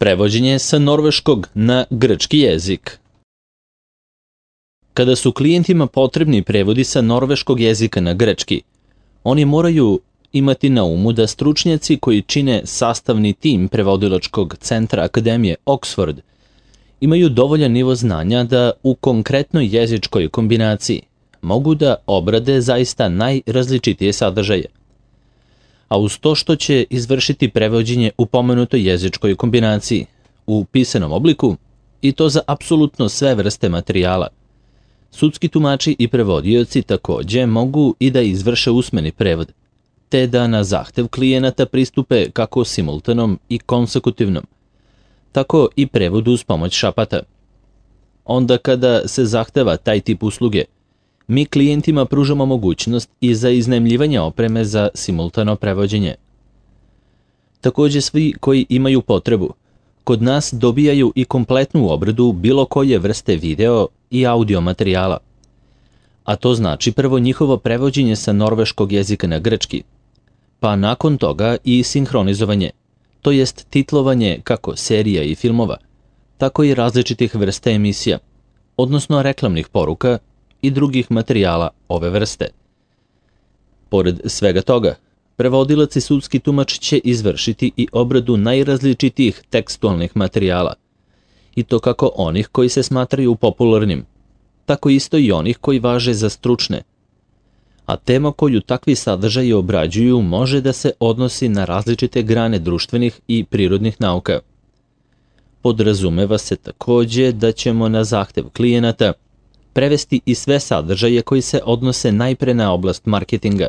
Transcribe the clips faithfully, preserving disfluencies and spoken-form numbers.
Prevođenje sa norveškog na grčki jezik. Kada su klijentima potrebni prevodi sa norveškog jezika na grčki, oni moraju imati na umu da stručnjaci koji čine sastavni tim prevodilačkog centra Akademije Oxford imaju dovoljan nivo znanja da u konkretnoj jezičkoj kombinaciji mogu da obrade zaista najrazličitije sadržaje. A uz to što će izvršiti prevođenje u pomenutoj jezičkoj kombinaciji u pisanom obliku, i to za apsolutno sve vrste materijala, sudski tumači i prevodioci takođe mogu i da izvrše usmeni prevod, te da na zahtev klijenata pristupe kako simultanom i konsekutivnom, tako i prevodu uz pomoć šapata. Onda kada se zahteva taj tip usluge, mi klijentima pružamo mogućnost i za iznajmljivanje opreme za simultano prevođenje. Takođe svi koji imaju potrebu, kod nas dobijaju i kompletnu obradu bilo koje vrste video i audio materijala. A to znači prvo njihovo prevođenje sa norveškog jezika na grčki, pa nakon toga i sinhronizovanje, to jest titlovanje kako serija i filmova, tako i različitih vrsta emisija, odnosno reklamnih poruka i drugih materijala ove vrste. Pored svega toga, prevodilac i sudski tumač će izvršiti i obradu najrazličitijih tekstualnih materijala, i to kako onih koji se smatraju popularnim, tako isto i onih koji važe za stručne. A tema koju takvi sadržaji obrađuju može da se odnosi na različite grane društvenih i prirodnih nauka. Podrazumeva se takođe da ćemo na zahtev klijenata prevesti i sve sadržaje koji se odnose najpre na oblast marketinga,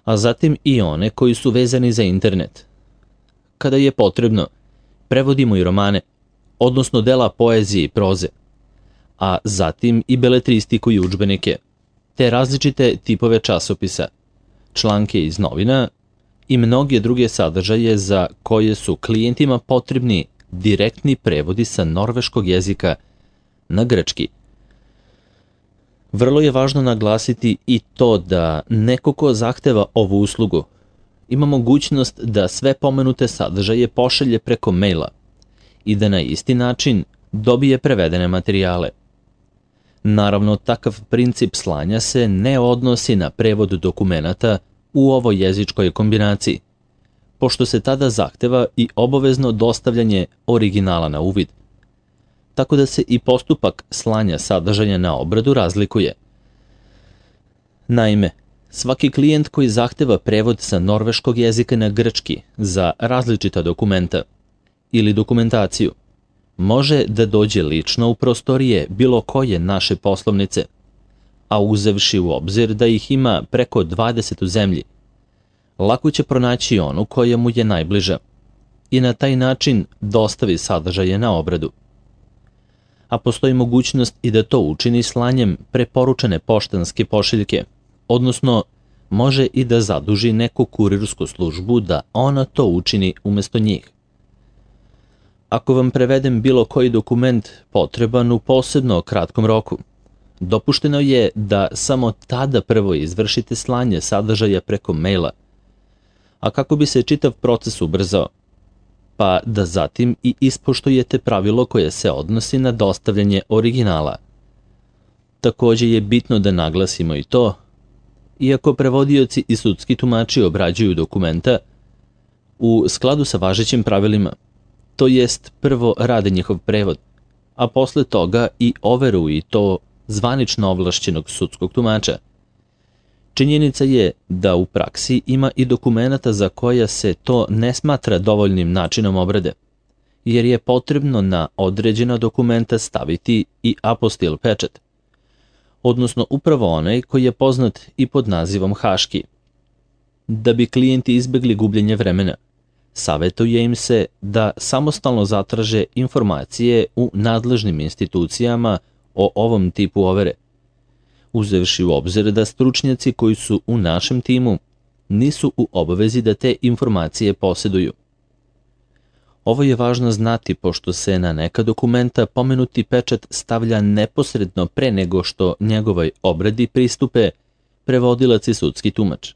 a zatim i one koji su vezani za internet. Kada je potrebno, prevodimo i romane, odnosno dela poezije i proze, a zatim i beletristiku i udžbenike, te različite tipove časopisa, članke iz novina i mnoge druge sadržaje za koje su klijentima potrebni direktni prevodi sa norveškog jezika na grčki. Vrlo je važno naglasiti i to da neko ko zahteva ovu uslugu ima mogućnost da sve pomenute sadržaje pošalje preko maila i da na isti način dobije prevedene materijale. Naravno, takav princip slanja se ne odnosi na prevod dokumenata u ovoj jezičkoj kombinaciji, pošto se tada zahteva i obavezno dostavljanje originala na uvid, tako da se i postupak slanja sadržaja na obradu razlikuje. Naime, svaki klijent koji zahteva prevod sa norveškog jezika na grčki za različita dokumenta ili dokumentaciju može da dođe lično u prostorije bilo koje naše poslovnice, a uzevši u obzir da ih ima preko dvadeset u zemlji, lako će pronaći onu koja mu je najbliža i na taj način dostavi sadržaje na obradu. A postoji mogućnost i da to učini slanjem preporučene poštanske pošiljke, odnosno može i da zaduži neku kurirsku službu da ona to učini umesto njih. Ako vam prevedem bilo koji dokument potreban u posebno kratkom roku, dopušteno je da samo tada prvo izvršite slanje sadržaja preko maila, a kako bi se čitav proces ubrzao, pa da zatim i ispoštujete pravilo koje se odnosi na dostavljanje originala. Takođe je bitno da naglasimo i to, iako prevodioci i sudski tumači obrađuju dokumenta, u skladu sa važećim pravilima, to jest prvo rade njihov prevod, a posle toga i overu i to zvanično ovlašćenog sudskog tumača. Činjenica je da u praksi ima i dokumenata za koja se to ne smatra dovoljnim načinom obrade, jer je potrebno na određena dokumenta staviti i apostil pečat, odnosno upravo onaj koji je poznat i pod nazivom haški. Da bi klijenti izbegli gubljenje vremena, savetuje im se da samostalno zatraže informacije u nadležnim institucijama o ovom tipu overe, uzevši u obzir da stručnjaci koji su u našem timu nisu u obavezi da te informacije posjeduju. Ovo je važno znati pošto se na neka dokumenta pomenuti pečat stavlja neposredno pre nego što njegovoj obradi pristupe prevodilac i sudski tumač,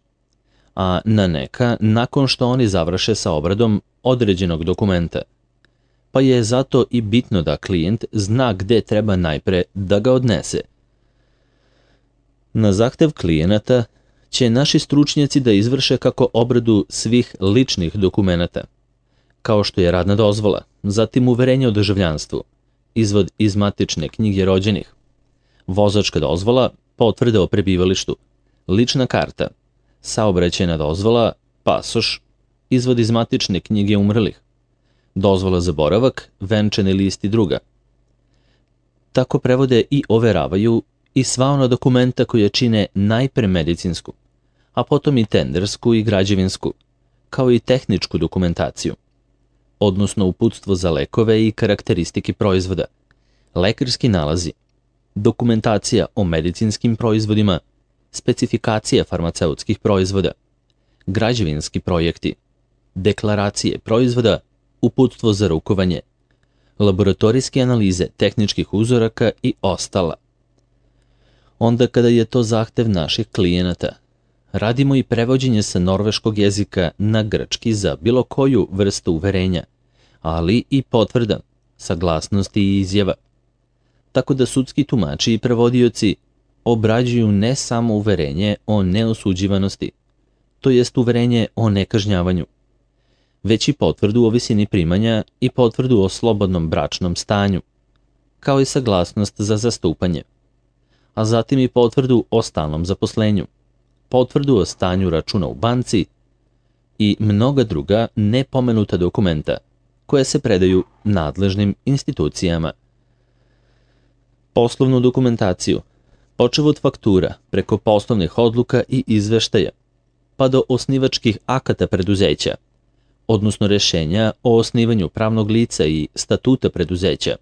a na neka nakon što oni završe sa obradom određenog dokumenta. pa je zato i bitno da klijent zna gde treba najpre da ga odnese. Na zahtev klijenata će naši stručnjaci da izvrše kako obradu svih ličnih dokumenata, kao što je radna dozvola, zatim uverenje o državljanstvu, izvod iz matične knjige rođenih, vozačka dozvola, potvrda o prebivalištu, lična karta, saobraćajna dozvola, pasoš, izvod iz matične knjige umrlih, dozvola za boravak, venčani list i druga. Tako prevode i overavaju i sva ona dokumenta koje čine najpre medicinsku, a potom i tendersku i građevinsku, kao i tehničku dokumentaciju, odnosno uputstvo za lekove i karakteristike proizvoda, lekarski nalazi, dokumentacija o medicinskim proizvodima, specifikacija farmaceutskih proizvoda, građevinski projekti, deklaracije proizvoda, uputstvo za rukovanje, laboratorijske analize tehničkih uzoraka i ostala. Onda kada je to zahtev naših klijenata, radimo i prevođenje sa norveškog jezika na grčki za bilo koju vrstu uverenja, ali i potvrda, saglasnosti i izjava. Tako da sudski tumači i prevodioci obrađuju ne samo uverenje o neosuđivanosti, to jest uverenje o nekažnjavanju, već i potvrdu o visini primanja i potvrdu o slobodnom bračnom stanju, kao i saglasnost za zastupanje, a zatim i potvrdu o stalnom zaposlenju, potvrdu o stanju računa u banci i mnoga druga nepomenuta dokumenta koje se predaju nadležnim institucijama. Poslovnu dokumentaciju, počev od faktura preko poslovnih odluka i izveštaja, pa do osnivačkih akata preduzeća, odnosno rešenja o osnivanju pravnog lica i statuta preduzeća,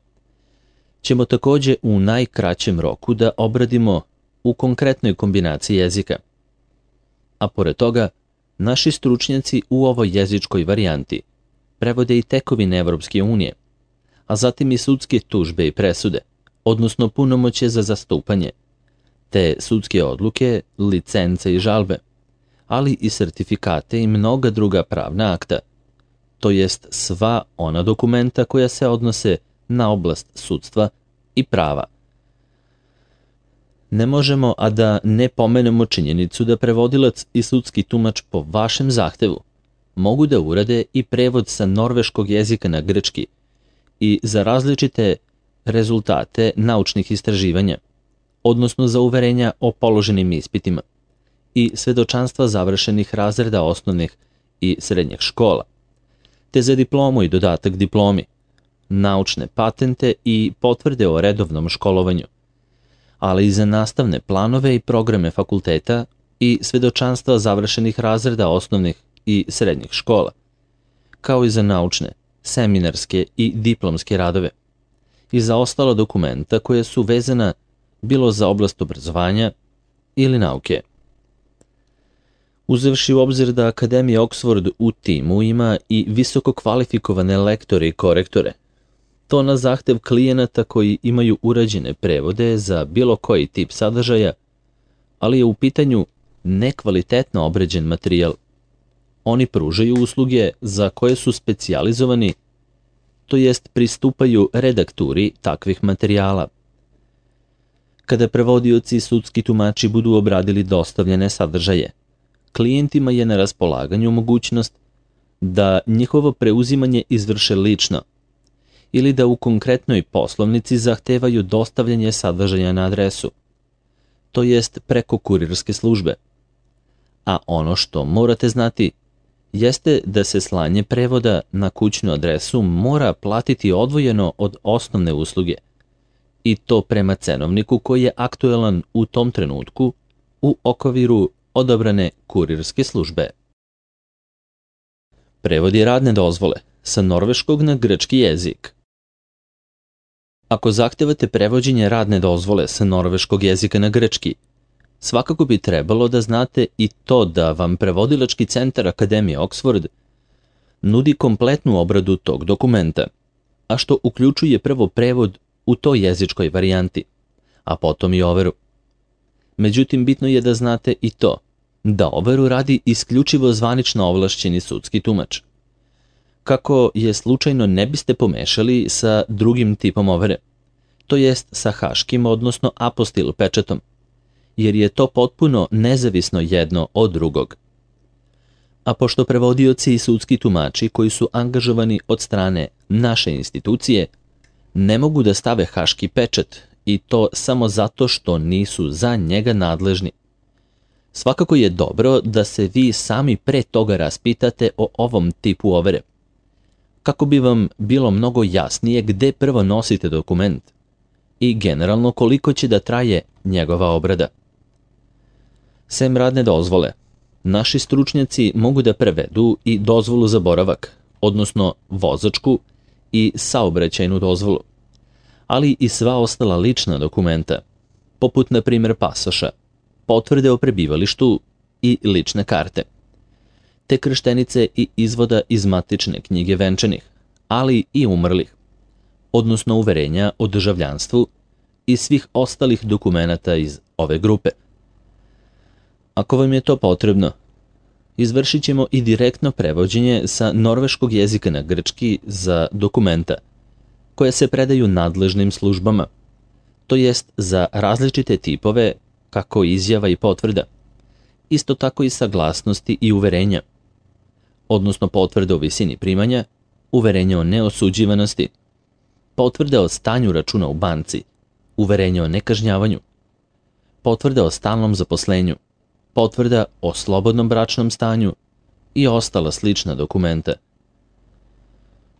ćemo takođe u najkraćem roku da obradimo u konkretnoj kombinaciji jezika. A pored toga, naši stručnjaci u ovoj jezičkoj varijanti prevode i tekovine Evropske unije, a zatim i sudske tužbe i presude, odnosno punomoćje za zastupanje, te sudske odluke, licence i žalbe, ali i sertifikate i mnoga druga pravna akta, to jest sva ona dokumenta koja se odnose na oblast sudstva i prava. Ne možemo, a da ne pomenemo činjenicu da prevodilac i sudski tumač po vašem zahtevu mogu da urade i prevod sa norveškog jezika na grčki i za različite rezultate naučnih istraživanja, odnosno za uverenja o položenim ispitima i svedočanstva završenih razreda osnovnih i srednjih škola, te za diplomu i dodatak diplomi, naučne patente i potvrde o redovnom školovanju, ali i za nastavne planove i programe fakulteta i svedočanstva završenih razreda osnovnih i srednjih škola, kao i za naučne, seminarske i diplomske radove, i za ostala dokumenta koje su vezana bilo za oblast obrazovanja ili nauke. Uzevši u obzir da Akademija Oxford u timu ima i visoko kvalifikovane lektore i korektore, to na zahtev klijenata koji imaju urađene prevode za bilo koji tip sadržaja, ali je u pitanju nekvalitetno obrađen materijal. Oni pružaju usluge za koje su specijalizovani, to jest pristupaju redakturi takvih materijala. Kada prevodioci i sudski tumači budu obradili dostavljene sadržaje, klijentima je na raspolaganju mogućnost da njihovo preuzimanje izvrše lično ili da u konkretnoj poslovnici zahtevaju dostavljanje sadržaja na adresu, to jest preko kurirske službe. A ono što morate znati jeste da se slanje prevoda na kućnu adresu mora platiti odvojeno od osnovne usluge, i to prema cenovniku koji je aktuelan u tom trenutku u okviru odabrane kurirske službe. Prevodi radne dozvole sa norveškog na grčki jezik. Ako zahtevate prevođenje radne dozvole sa norveškog jezika na grčki, svakako bi trebalo da znate i to da vam prevodilački centar Akademije Oxford nudi kompletnu obradu tog dokumenta, a što uključuje prvo prevod u toj jezičkoj varijanti, a potom i overu. Međutim, bitno je da znate i to, da overu radi isključivo zvanično ovlašćeni sudski tumač. kako je slučajno ne biste pomešali sa drugim tipom overe, to jest sa haškim, odnosno apostil pečatom, jer je to potpuno nezavisno jedno od drugog. A pošto prevodioci i sudski tumači koji su angažovani od strane naše institucije ne mogu da stave haški pečat i to samo zato što nisu za njega nadležni, svakako je dobro da se vi sami pre toga raspitate o ovom tipu overe, kako bi vam bilo mnogo jasnije gde prvo nosite dokument i generalno koliko će da traje njegova obrada. Sem radne dozvole, naši stručnjaci mogu da prevedu i dozvolu za boravak, odnosno vozačku i saobraćajnu dozvolu, ali i sva ostala lična dokumenta, poput na primjer pasoša, potvrde o prebivalištu i lične karte, te krštenice i izvoda iz matične knjige venčanih, ali i umrlih, odnosno uverenja o državljanstvu i svih ostalih dokumenata iz ove grupe. Ako vam je to potrebno, izvršit ćemo i direktno prevođenje sa norveškog jezika na grčki za dokumenta koje se predaju nadležnim službama, to jest za različite tipove kako izjava i potvrda, isto tako i saglasnosti i uverenja, odnosno potvrde o visini primanja, uverenje o neosuđivanosti, potvrde o stanju računa u banci, uverenje o nekažnjavanju, potvrda o stalnom zaposlenju, potvrda o slobodnom bračnom stanju i ostala slična dokumenta.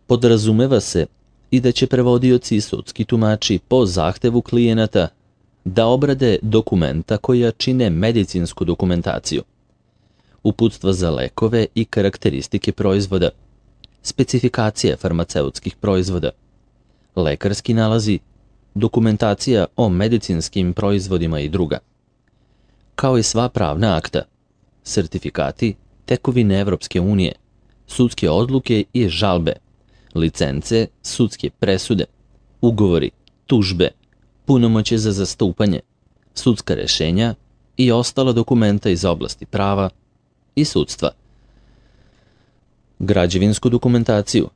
Podrazumeva se i da će prevodioci i sudski tumači po zahtevu klijenata da obrade dokumenta koja čine medicinsku dokumentaciju, uputstva za lekove i karakteristike proizvoda, specifikacije farmaceutskih proizvoda, lekarski nalazi, dokumentacija o medicinskim proizvodima i druga, kao i sva pravna akta, sertifikati, tekovine Evropske unije, sudske odluke i žalbe, licence, sudske presude, ugovori, tužbe, punomoćje za zastupanje, sudska rešenja i ostala dokumenta iz oblasti prava i sudstva. Građevinsku dokumentaciju,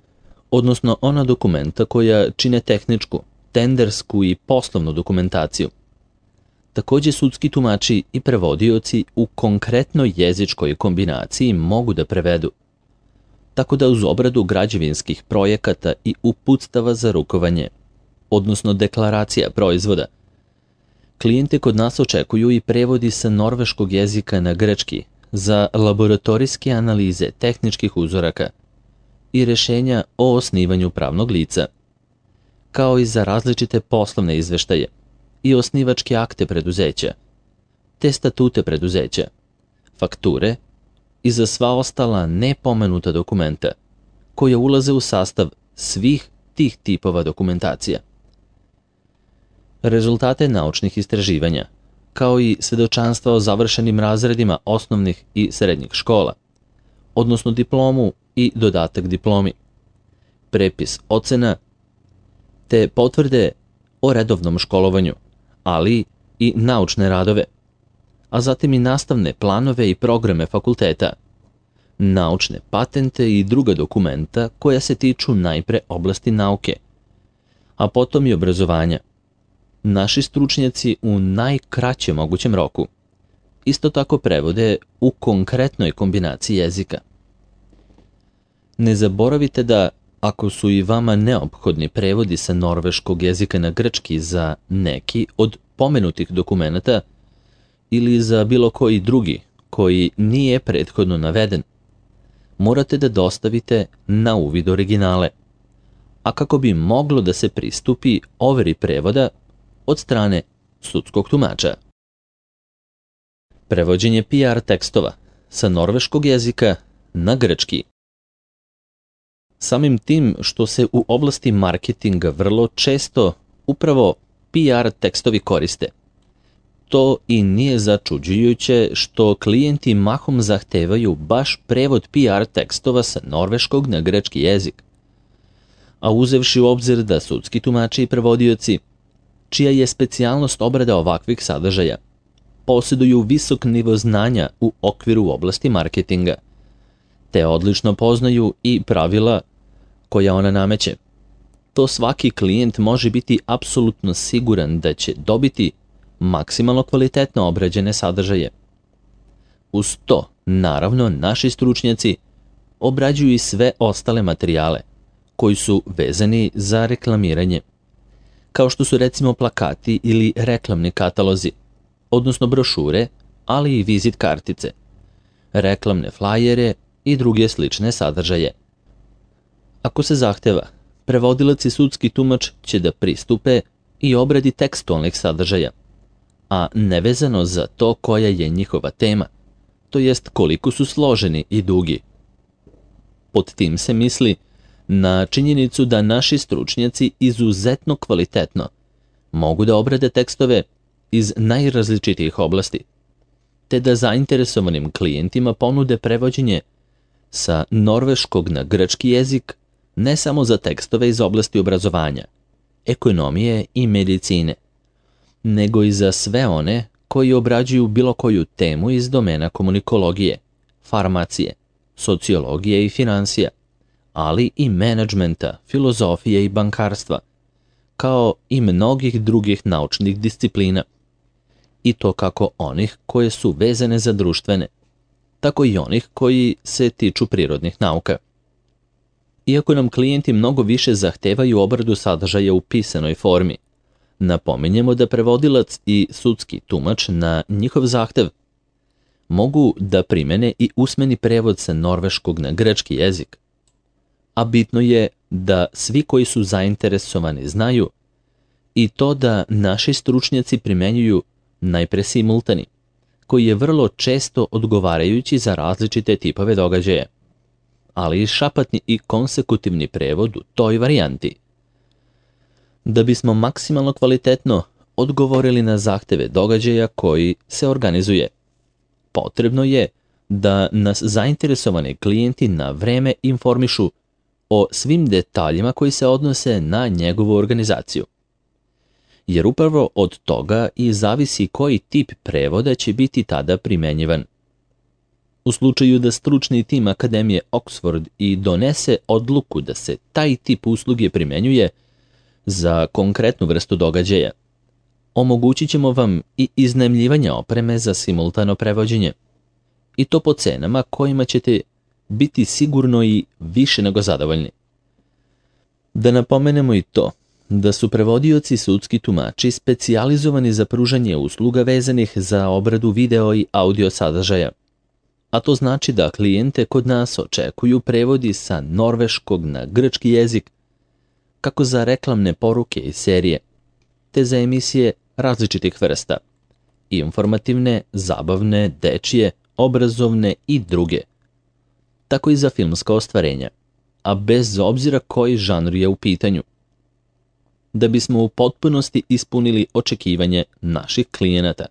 odnosno ona dokumenta koja čine tehničku, tendersku i poslovnu dokumentaciju. Takođe sudski tumači i prevodioci u konkretnoj jezičkoj kombinaciji mogu da prevedu, tako da uz obradu građevinskih projekata i uputstava za rukovanje, odnosno deklaracija proizvoda, klijente kod nas očekuju i prevodi sa norveškog jezika na grčki za laboratorijske analize tehničkih uzoraka i rešenja o osnivanju pravnog lica, kao i za različite poslovne izveštaje i osnivačke akte preduzeća, te statute preduzeća, fakture i za sva ostala nepomenuta dokumenta koja ulaze u sastav svih tih tipova dokumentacija. Rezultate naučnih istraživanja, kao i svedočanstva o završenim razredima osnovnih i srednjih škola, odnosno diplomu i dodatak diplomi, prepis ocena, te potvrde o redovnom školovanju, ali i naučne radove, a zatim i nastavne planove i programe fakulteta, naučne patente i druga dokumenta koja se tiču najpre oblasti nauke, a potom i obrazovanja. Naši stručnjaci u najkraćem mogućem roku isto tako prevode u konkretnoj kombinaciji jezika. Ne zaboravite da, ako su i vama neophodni prevodi sa norveškog jezika na grčki za neki od pomenutih dokumenata ili za bilo koji drugi koji nije prethodno naveden, morate da dostavite na uvid originale, a kako bi moglo da se pristupi overi prevoda od strane sudskog tumača. Prevođenje P R tekstova sa norveškog jezika na grčki. Samim tim što se u oblasti marketinga vrlo često upravo P R tekstovi koriste, to i nije začuđujuće što klijenti mahom zahtevaju baš prevod P R tekstova sa norveškog na grčki jezik. A uzevši u obzir da sudski tumači i prevodioci, čija je specijalnost obrada ovakvih sadržaja, posjeduju visok nivo znanja u okviru oblasti marketinga, te odlično poznaju i pravila koja ona nameće. To svaki klijent može biti apsolutno siguran da će dobiti maksimalno kvalitetno obrađene sadržaje. Uz to, naravno, naši stručnjaci obrađuju i sve ostale materijale koji su vezani za reklamiranje, kao što su recimo plakati ili reklamni katalozi, odnosno brošure, ali i vizit kartice, reklamne flajere i druge slične sadržaje. Ako se zahteva, prevodilac i sudski tumač će da pristupe i obradi tekstualnih sadržaja, a nevezano za to koja je njihova tema, to jest koliko su složeni i dugi. Pod tim se misli na činjenicu da naši stručnjaci izuzetno kvalitetno mogu da obrade tekstove iz najrazličitijih oblasti, te da zainteresovanim klijentima ponude prevođenje sa norveškog na grčki jezik ne samo za tekstove iz oblasti obrazovanja, ekonomije i medicine, nego i za sve one koji obrađuju bilo koju temu iz domena komunikologije, farmacije, sociologije i finansija, ali i menadžmenta, filozofije i bankarstva, kao i mnogih drugih naučnih disciplina, i to kako onih koje su vezane za društvene, tako i onih koji se tiču prirodnih nauka. Iako nam klijenti mnogo više zahtevaju obradu sadržaja u pisanoj formi, napominjemo da prevodilac i sudski tumač na njihov zahtev mogu da primene i usmeni prevod sa norveškog na grčki jezik, a bitno je da svi koji su zainteresovani znaju i to da naši stručnjaci primenjuju najpre simultani, koji je vrlo često odgovarajući za različite tipove događaja, ali i šapatni i konsekutivni prevod u toj varijanti. Da bismo maksimalno kvalitetno odgovorili na zahteve događaja koji se organizuje, potrebno je da nas zainteresovani klijenti na vreme informišu o svim detaljima koji se odnose na njegovu organizaciju. Jer upravo od toga i zavisi koji tip prevoda će biti tada primenjivan. U slučaju da stručni tim Akademije Oxford i donese odluku da se taj tip usluge primenjuje za konkretnu vrstu događaja, omogućit ćemo vam i iznajmljivanje opreme za simultano prevođenje, i to po cenama kojima ćete biti sigurno i više nego zadovoljni. Da napomenemo i to da su prevodioci sudski tumači specijalizovani za pružanje usluga vezanih za obradu video i audio sadržaja, a to znači da klijente kod nas očekuju prevodi sa norveškog na grčki jezik, kako za reklamne poruke i serije, te za emisije različitih vrsta, informativne, zabavne, dečije, obrazovne i druge, tako i za filmska ostvarenja, a bez obzira koji žanr je u pitanju, da bismo u potpunosti ispunili očekivanje naših klijenata.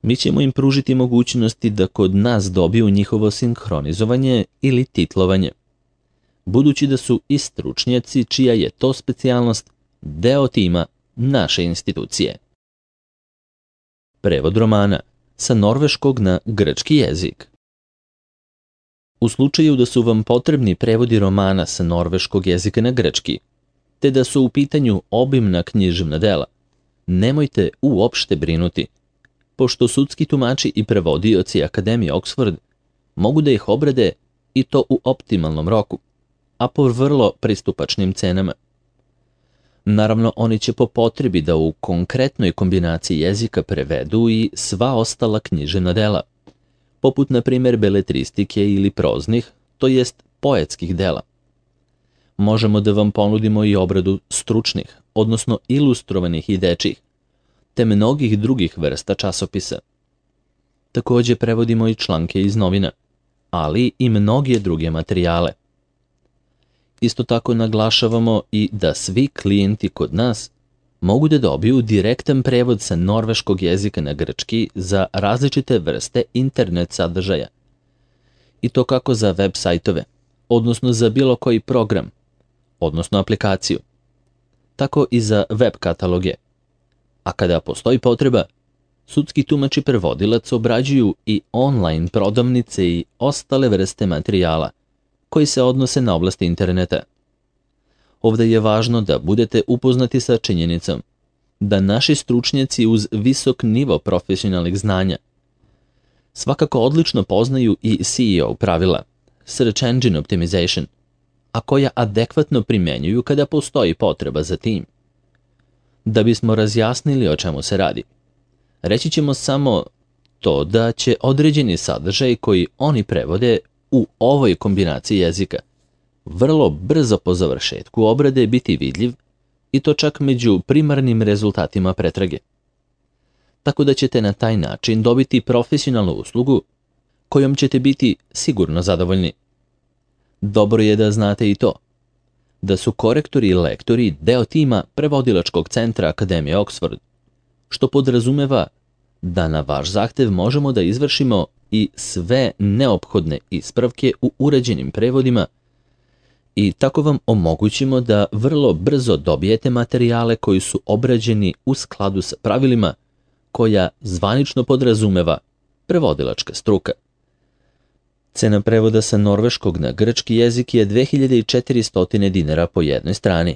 Mi ćemo im pružiti mogućnosti da kod nas dobiju njihovo sinhronizovanje ili titlovanje, budući da su i stručnjaci čija je to specijalnost deo tima naše institucije. Prevod romana sa norveškog na grčki jezik. U slučaju da su vam potrebni prevodi romana sa norveškog jezika na grčki, te da su u pitanju obimna književna dela, nemojte uopšte brinuti, pošto sudski tumači i prevodioci Akademije Oxford mogu da ih obrade i to u optimalnom roku, a po vrlo pristupačnim cenama. Naravno, oni će po potrebi da u konkretnoj kombinaciji jezika prevedu i sva ostala književna dela, poput na primjer beletristike ili proznih, to jest poetskih dela. Možemo da vam ponudimo i obradu stručnih, odnosno ilustrovanih i dečjih, te mnogih drugih vrsta časopisa. Također prevodimo i članke iz novina, ali i mnoge druge materijale. Isto tako naglašavamo i da svi klijenti kod nas mogu da dobiju direktan prevod sa norveškog jezika na grčki za različite vrste internet sadržaja. I to kako za web sajtove, odnosno za bilo koji program, odnosno aplikaciju, tako i za web kataloge. A kada postoji potreba, sudski tumač i prevodilac obrađuju i online prodavnice i ostale vrste materijala koji se odnose na oblast interneta, Ovde je važno da budete upoznati sa činjenicom da naši stručnjaci uz visok nivo profesionalnih znanja svakako odlično poznaju i C E O pravila, Search Engine Optimization, a koja adekvatno primjenjuju kada postoji potreba za tim. Da bismo razjasnili o čemu se radi, reći ćemo samo to da će određeni sadržaj koji oni prevode u ovoj kombinaciji jezika vrlo brzo po završetku obrade biti vidljiv i to čak među primarnim rezultatima pretrage. Tako da ćete na taj način dobiti profesionalnu uslugu kojom ćete biti sigurno zadovoljni. Dobro je da znate i to, da su korektori i lektori deo tima prevodilačkog centra Akademije Oxford, što podrazumeva da na vaš zahtev možemo da izvršimo i sve neophodne ispravke u uređenim prevodima i tako vam omogućimo da vrlo brzo dobijete materijale koji su obrađeni u skladu sa pravilima koja zvanično podrazumeva prevodilačka struka. Cena prevoda sa norveškog na grčki jezik je dve hiljade četiristo dinara po jednoj strani.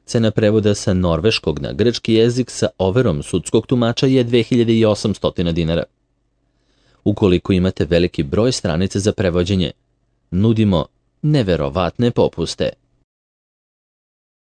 Cena prevoda sa norveškog na grčki jezik sa overom sudskog tumača je dve hiljade osamsto dinara. Ukoliko imate veliki broj stranica za prevođenje, nudimo neverovatne popuste.